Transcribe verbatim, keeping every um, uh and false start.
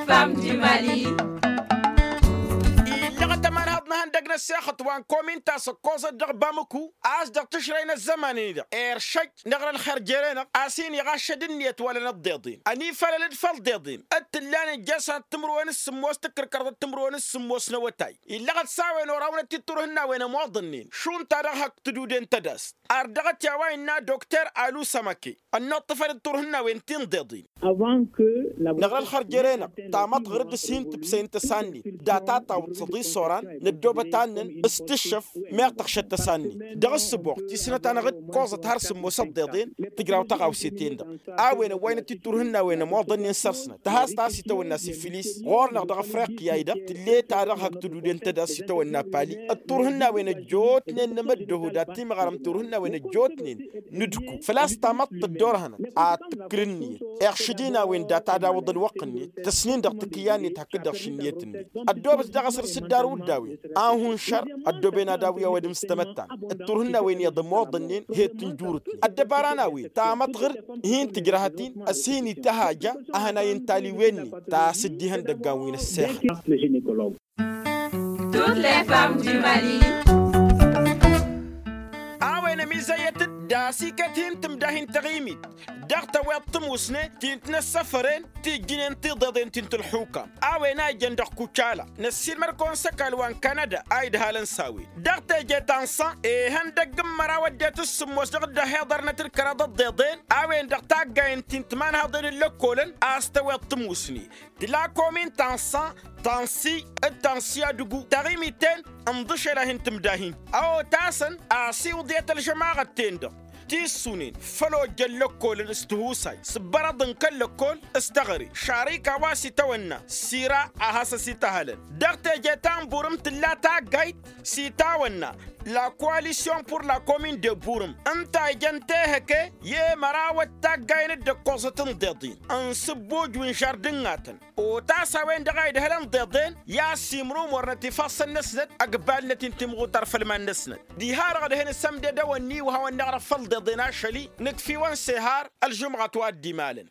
Fam di mali. Illăɣăt ămanhăḍ n-ehăndăg n-ăssexăt wa n-komin ta s-ǝkkoẓăt dăɣ-bamǝku a-s dăɣ-tǝšrăy n-ăzzăman-in-dăɣ eršăj n-eɣrăl xărjere-năɣ a-s hin-iɣaššăd ǝnniyăt wăla n-ăḍḍeḍen ănifălăl-dd făll-ḍeḍen d-tǝllan ǝjjăsăn timǝrwen s-sǝmmos tǝkkǝrkăr dăɣ-timǝrwen s-sǝmmos n-awătay. Illăɣăt s-a-wen orawnăt i-turhǝnnawen ămoḍănnen šund ta dăɣ-hak tǝduden tădast ar dăɣ-t i-a-wa innă dokter alu sămăke ănnuṭṭǝfăn d-turhǝnnawen ti n-ḍeḍen. Năɣrăl xărjere-năɣ tamăḍt ɣǝr-dd s-hin-tǝbsăyăn tăsannin data tawǝḍ săḍi s-oran năddoobăt annăn s-tǝššăf meɣ tăɣšăt tăsannin dăɣ-ǝssǝboɣ ti s-nătanăɣ-dd koẓăt har sǝmmos ăḍḍeḍen. Tǝjraw taɣawse-ten-dăɣ a-wen ăwwaynăt i-turhǝnnawen ămoḍănnen săr-snăt tăhast a-s itawănna sifilis ɣur-năɣ dăɣ-afriqya-i-dăɣ tǝlle ta dăɣ-hak tǝduden tădast itawănna pali. D-turhǝnnawen ăjjootnen n-amăddohud ad-timɣarăm turhǝnnawen ăjjootnen n-udku făl-a-s tamăḍt tăddorhănăt ad-tǝkkǝl ǝnniyăt iɣšǝd-in a-wen data d-awǝḍ ălwăqq-net tăsnin dăɣ-takǝyya-net hakd-dăɣ šǝnniyăt-net. Ăddoobăt daɣ asăr s-dd-arwǝddawen a hun šăr ăddooben ad-awǝy a-wa d-imǝstămăttan d-turhǝnnawen iyyăḍ ămoḍănnen he-tǝnjurǝtnen ăddăbara n-a-wen tamăḍt ɣǝr-dd hin-tǝjrăhăt-in ăssin ităhaja. Ahănay n-taliwen-net ta s-dd-ihăndăggan wi n-ăssexăt. Tut lefam dimali. A-wen ămizăyyăt-dd dasikăt hin-tǝmdahin tăɣimit dăɣ-tăweḍ tǝmusne ti n-tinăssăfăren tijjǝnen tiḍeḍen ti n-tǝlxukam a-wen a ijăn dăɣ-kucala. Năssiilmăr-kăwăn s-ăkall wa n-kanada a idhalăn s-a-wen dăɣ-teje ta n-san ihăndăgg n-măraw ăddinăt s-sǝmmos dăɣ-dd-ăhiḍărnăt d-kăraḍ ăḍḍeḍen a-wen dăɣ-taggayen ti n-timanhaḍen n-lăkkolăn a-s tăweḍ tǝmusne. Tǝla komin ta n-san tansi d-tansi adǝgu taɣimiten n-iḍǝšel a hin-tǝmdahin a otasăn a-s iwǝḍyăt ălžămaɣăt-ten-dăɣ ti ǝssunen făll-ojjăn lăkkolăn s-tihusay s-ǝbbărăḍ n-kăl-lăkkol s-teɣăre šarika wa s-itawănna sira a hasăn-s ităhălăn. Dăɣ-teje ta n-burǝm tǝlla taggayt s-itawănna la koalisyon pur la komin de burǝm ǝnta ijăn tehăke i-mărawăt taggayen dd-ăkkoẓăt n-iḍeḍen n-sǝbbuj wi n-žardǝnnatăn. Otas a-wen-dăɣ a idhălăn iḍeḍen i-ad-simrǝm ornăt ifassăn-năsnăt ăgbalnăt-in timɣutar făll-iman-năsnăt. Diha-dăɣ dăɣ-hin-sămdedăwăn-ni wa hawăn-năɣrăf făll-iḍeḍen ašăl-i nǝkf'-iwăn s-ehar ălžumɣăt wa dd-imalăn.